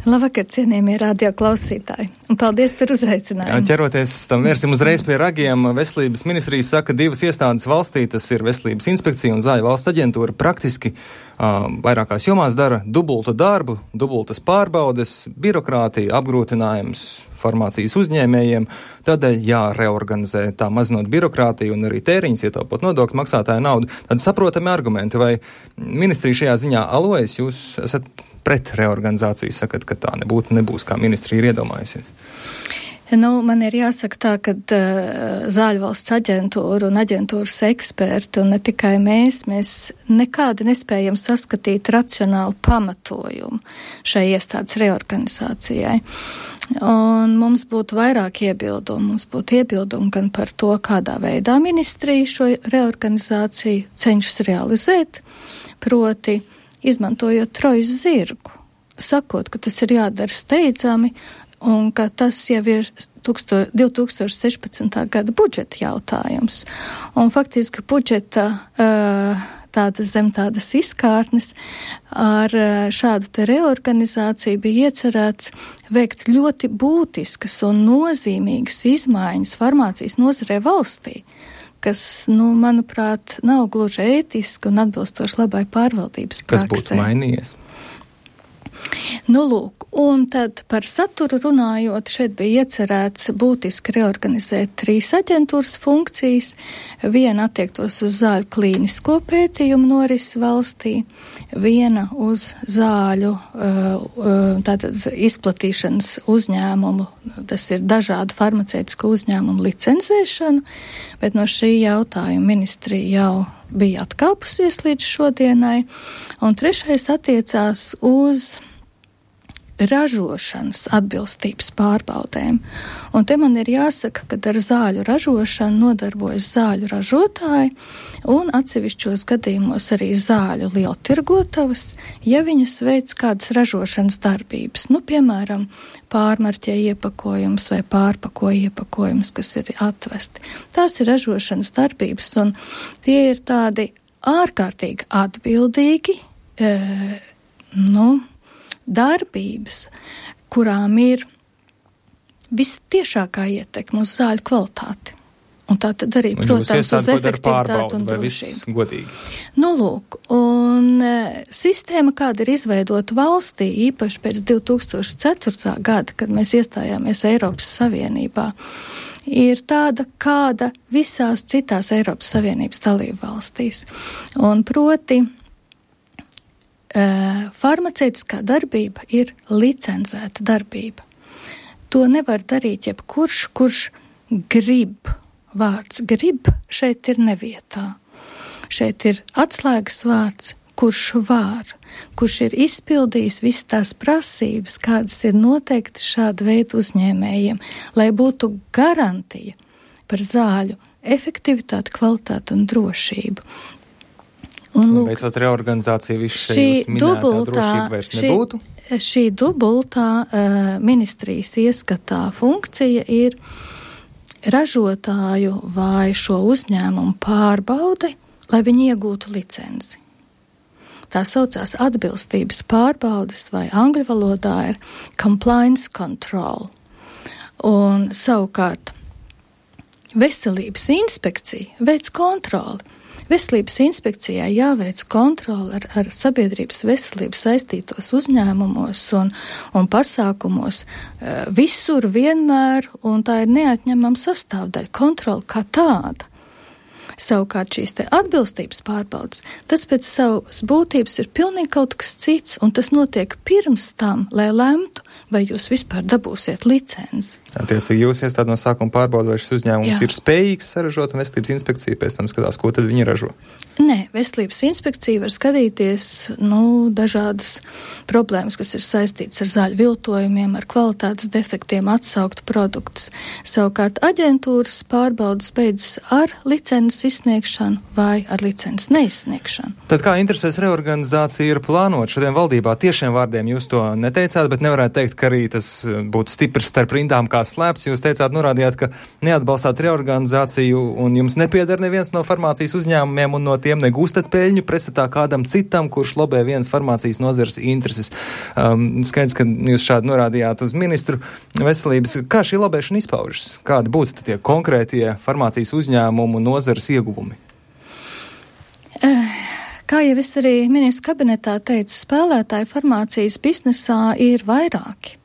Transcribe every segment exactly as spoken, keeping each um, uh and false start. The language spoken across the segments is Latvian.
Labvakar, cienījamie radioklausītāji, un paldies par uzaicinājumu. Jā, ķeroties tam vērsim uzreiz pie ragiem, Veselības ministrijas saka, divas iestādes valstī, tas ir Veselības inspekcija un Zāļu valsts aģentūra, praktiski uh, vairākās jomās dara dubultu darbu, dubultas pārbaudes, birokrātija, apgrūtinājums farmācijas uzņēmējiem, tādēļ jāreorganizē tā mazinot birokrātiju un arī tēriņus, ietaupot nodokļu maksātāju naudu. Tad saprotami argumenti, vai ministrija šajā ziņā alojas, jūs esat pret reorganizāciju, sakat, ka tā nebūtu, nebūs, kā ministrija ir iedomājusies? Nu, man ir jāsaka tā, ka uh, Zāļu valsts aģentūra un aģentūras eksperti, un ne tikai mēs, mēs nekādi nespējam saskatīt racionālu pamatojumu šai iestādes reorganizācijai. Un mums būtu vairāk iebildumu. Mums būtu iebildumi gan par to, kādā veidā ministrija šo reorganizāciju cenšas realizēt, proti izmantojot trojas zirgu, sakot, ka tas ir jādara steidzami, un ka tas jau ir divi tūkstoši sešpadsmitā gada budžeta jautājums. Un faktiski budžeta tādas zem tādas izkārtnes ar šādu te reorganizāciju bija iecerēts veikt ļoti būtiskas un nozīmīgas izmaiņas farmācijas nozarē valstī, kas, nu, manuprāt, nav gluži ētiski un atbilstoši labai pārvaldības praksē. Kas būtu mainījies? Nu, lūk, un tad par saturu runājot, šeit bija iecerēts būtiski reorganizēt trīs aģentūras funkcijas. Viena attiektos uz zāļu klīnisko pētījumu norisi valstī, viena uz zāļu tātad izplatīšanas uzņēmumu, tas ir dažādu farmaceitisko uzņēmumu licencēšanu, bet no šī jautājuma ministrija jau bija atkāpusies līdz šodienai, un trešais attiecās uz ražošanas atbilstības pārbaudēm. Un te man ir jāsaka, ka ar zāļu ražošanu nodarbojas zāļu ražotāji un atsevišķos gadījumos arī zāļu lieltirgotavas, ja viņas veic kādas ražošanas darbības. Nu, piemēram, pārmarķē iepakojums vai pārpako iepakojums, kas ir atvesti. Tās ir ražošanas darbības, un tie ir tādi ārkārtīgi atbildīgi, e, nu, darbības, kurām ir vistiešākā ietekme uz zāļu kvalitāti. Un tā tad arī, un protams, uz efektivitāti un drošību. Godīgi. Nu, lūk, un e, sistēma, kāda ir izveidota valstī, īpaši pēc divi tūkstoši ceturtā gada, kad mēs iestājāmies Eiropas Savienībā, ir tāda, kāda visās citās Eiropas Savienības dalību valstīs. Un proti, Uh, farmaceitiskā darbība ir licencēta darbība. To nevar darīt jebkurš, kurš grib. Vārds grib šeit ir nevietā. Šeit ir atslēgas vārds, kurš var, kurš ir izpildījis visas tās prasības, kādas ir noteikti šāda veida uzņēmējiem, lai būtu garantija par zāļu efektivitāti, kvalitāti un drošību. Un, lūk, beidzot reorganizācija visu šeit minētā drošība vairs šī, nebūtu? Šī dubultā uh, ministrijas ieskatā funkcija ir ražotāju vai šo uzņēmumu pārbaude, lai viņi iegūtu licenci. Tā saucās atbilstības pārbaudes vai angļu valodā ir compliance control. Un savukārt veselības inspekcija veic kontroli. Veselības inspekcijai jāveic kontroli ar, ar sabiedrības veselību saistītos uzņēmumos un, un pasākumos visur vienmēr, un tā ir neatņemama sastāvdaļa, kontroli kā tāda. Savukārt šīs te atbilstības pārbaudas, tas pēc savas būtības ir pilnīgi kaut kas cits, un tas notiek pirms tam, lai lemtu, vai jūs vispār dabūsiet licenci. Attiecīgi jūs iestādi no sākuma pārbauda, vai šis uzņēmums Jā. ir spējīgs saražot, un veselības inspekcija pēc tam skatās, ko tad viņi ražo? Nē, veselības inspekcija var skatīties, nu, dažādas problēmas, kas ir saistītas ar zāļu viltojumiem, ar kvalitātes defektiem, atsaukt produktus. Savukārt aģentūras pārbaudas beidzas ar licences licences izsniegšanu vai ar licences neizsniegšanu. Tad kā interesēs reorganizācija ir plānot šodien valdībā? Tiešiem vārdiem jūs to neteicāt, bet nevarētu teikt, ka arī tas būtu stiprs starp rindām kā slēpts. Jūs teicāt, norādījāt, ka neatbalstāt reorganizāciju un jums nepiedar neviens no farmācijas uzņēmumiem un no tiem negūstat peļņu pretstatā kādam citam, kurš lobē vienas farmācijas nozares intereses. Um, skaidrs, ka jūs šādi norādījāt uz ministru veselības. Kā šī lobēšana izpaužas? Kādi būtu tie konkrētie farmācijas uzņēmumu nozares ieguvumi? Kā jau es arī ministru kabinetā teicu, spēlētāji farmācijas biznesā ir vairāki.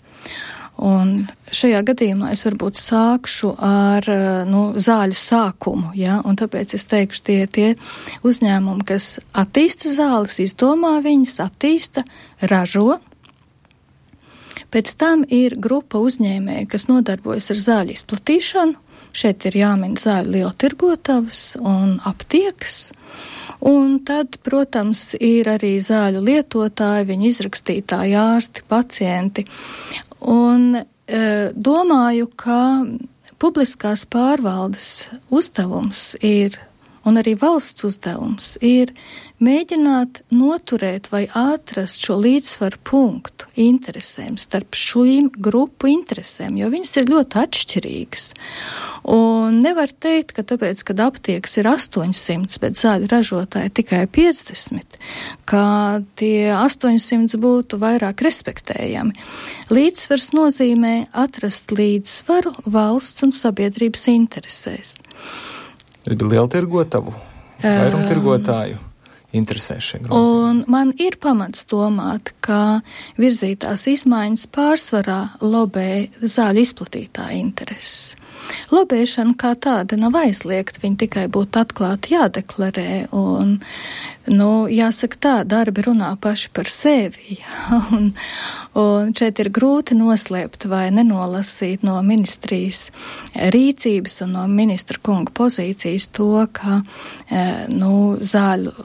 Un šajā gadījumā es varbūt sākšu ar nu, zāļu sākumu, ja? Un tāpēc es teikšu tie tie uzņēmumi, kas attīsta zāles, izdomā viņas, attīsta, ražo. Pēc tam ir grupa uzņēmēju, kas nodarbojas ar zāļu izplatīšanu. Šeit ir jāmin zāļu lieltirgotavas un aptiekas. Un tad, protams, ir arī zāļu lietotāji, viņu izrakstītāji, ārsti, pacienti. Un e, domāju, ka publiskās pārvaldes uzdevums ir, un arī valsts uzdevums ir mēģināt noturēt vai atrast šo līdzsvaru punktu interesēm starp šīm grupu interesēm, jo viņas ir ļoti atšķirīgas. Un nevar teikt, ka tāpēc, kad aptiekas ir astoņsimt, bet zāļu ražotāji tikai piecdesmit, ka tie astoņsimt būtu vairāk respektējami. Līdzsvars nozīmē atrast līdzsvaru valsts un sabiedrības interesēs. Lieltirgotavu, vairumtirgotāju interesēs šie grozījumi. Un man ir pamats domāt, ka virzītās izmaiņas pārsvarā lobē zāļu izplatītāju intereses. Lobēšana kā tāda nav aizliegta, viņa tikai būtu atklāti jādeklarē, un, nu, jāsaka tā, darbi runā paši par sevi, ja? un, un šeit ir grūti noslēpt vai nenolasīt no ministrijas rīcības un no ministra kunga pozīcijas to, ka, nu, zāļu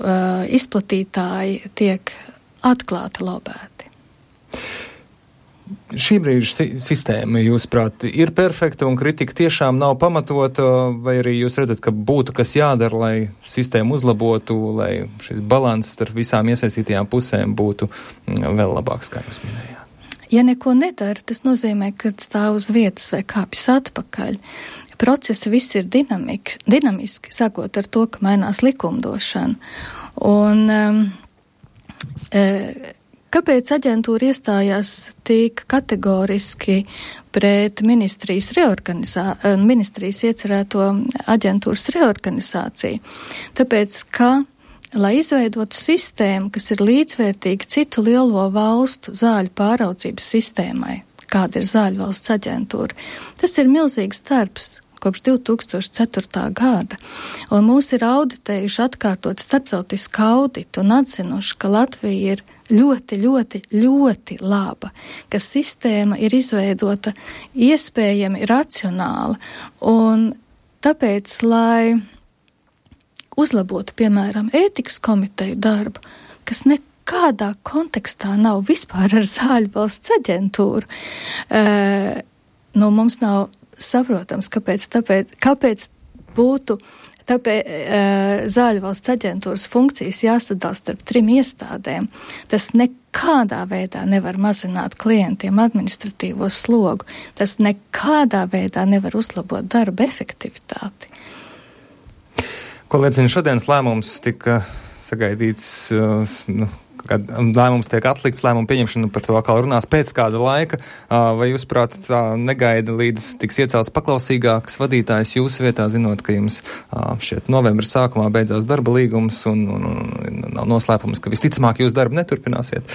izplatītāji tiek atklāti lobēti. Šī brīža si- sistēma, jūsuprāt, ir perfekta un kritika tiešām nav pamatota, vai arī jūs redzat, ka būtu kas jādara, lai sistēmu uzlabotu, lai šis balans starp visām iesaistītajām pusēm būtu vēl labāks, kā jūs minējāt? Ja neko nedara, tas nozīmē, ka stāv uz vietas vai kāpjas atpakaļ. Procesi viss ir dinamik, dinamiski, sākot ar to, ka mainās likumdošana. Un um, e, kāpēc aģentūra iestājās tik kategoriski pret ministrijas, reorganizā, ministrijas iecerēto aģentūras reorganizāciju? Tāpēc, ka, lai izveidotu sistēmu, kas ir līdzvērtīga citu lielo valstu zāļu pāraudzības sistēmai, kāda ir zāļu valsts aģentūra, tas ir milzīgs darbs kopš divi tūkstoši ceturtā gada, un mūs ir auditējuši atkārtot starptautisku auditu un atzinuši, ka Latvija ir ļoti, ļoti, ļoti laba, ka sistēma ir izveidota iespējami racionāla, un tāpēc, lai uzlabotu, piemēram, ētikas komiteju darbu, kas nekādā kontekstā nav vispār ar zāļu valsts aģentūru, e, nu, mums nav saprotams, kāpēc, tāpēc, kāpēc būtu tāpēc, e, zāļu valsts aģentūras funkcijas jāsadala starp trim iestādēm. Tas nekādā veidā nevar mazināt klientiem administratīvo slogu. Tas nekādā veidā nevar uzlabot darba efektivitāti. Ko liecina šodienas lēmums, tika sagaidīts, uh, nu, kad lēmums tiek atlikts, lēmumu pieņemšana par to atkal runās pēc kāda laika, vai jūs, prāt, tā negaida līdz tiks iecelts paklausīgāks vadītājs jūsu vietā, zinot, ka jums šķiet novembra sākumā beidzās darba līgums un, un, un nav noslēpums, ka visticamāk jūs darbu neturpināsiet.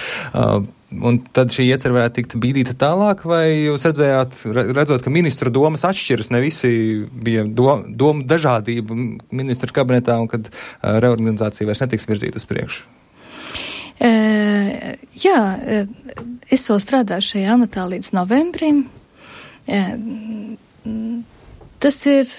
Un tad šī iecer varētu tikt bīdīta tālāk, vai jūs redzējāt, redzot, ka ministru domas atšķiras, ne visi bija do, domu dažādība ministra kabinetā un kad reorganizācija vairs netiks virzīta uz priekšu? Uh, jā, es vēl strādāju šajā amatā līdz novembrim. Uh, tas ir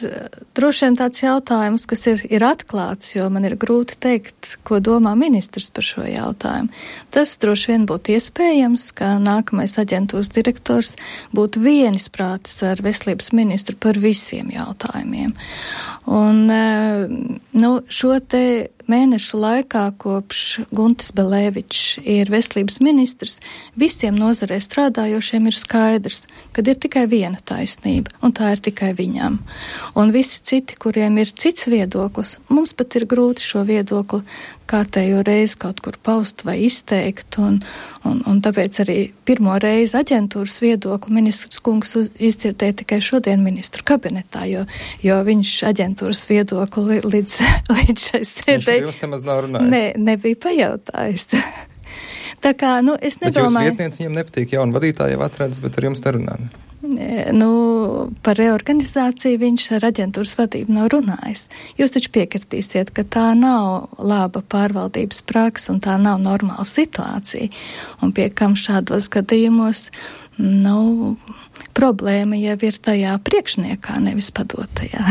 droši vien tāds jautājums, kas ir, ir atklāts, jo man ir grūti teikt, ko domā ministrs par šo jautājumu. Tas droši vien būtu iespējams, ka nākamais aģentūras direktors būtu vienisprātis ar veselības ministru par visiem jautājumiem. Un, nu, šo te mēnešu laikā, kopš Guntis Belēvičs ir veselības ministrs, visiem nozarē strādājošiem ir skaidrs, ka ir tikai viena taisnība, un tā ir tikai viņam. Un visi citi, kuriem ir cits viedoklis, mums pat ir grūti šo viedokli kārtējo reizi kaut kur paust vai izteikt, un, un, un tāpēc arī pirmo reizi aģentūras viedokli ministrs kungs uz, izdzirdēja tikai šodien ministru kabinetā, jo, jo viņš aģentūras viedokli līdz, līdz šai sēdē ne, nebija pajautājis. Tā kā, nu, es nedomāju... Bet jūs vietnieci viņam nepatīk, jaunu vadītāju jau atradas, bet ar jums nerunā? Nu, par reorganizāciju viņš ar aģentūras vadību nav runājis. Jūs taču piekritīsiet, ka tā nav laba pārvaldības praksa un tā nav normāla situācija. Un pie kam šādos gadījumos, nu, problēma jau ir tajā priekšniekā, nevis padotajā.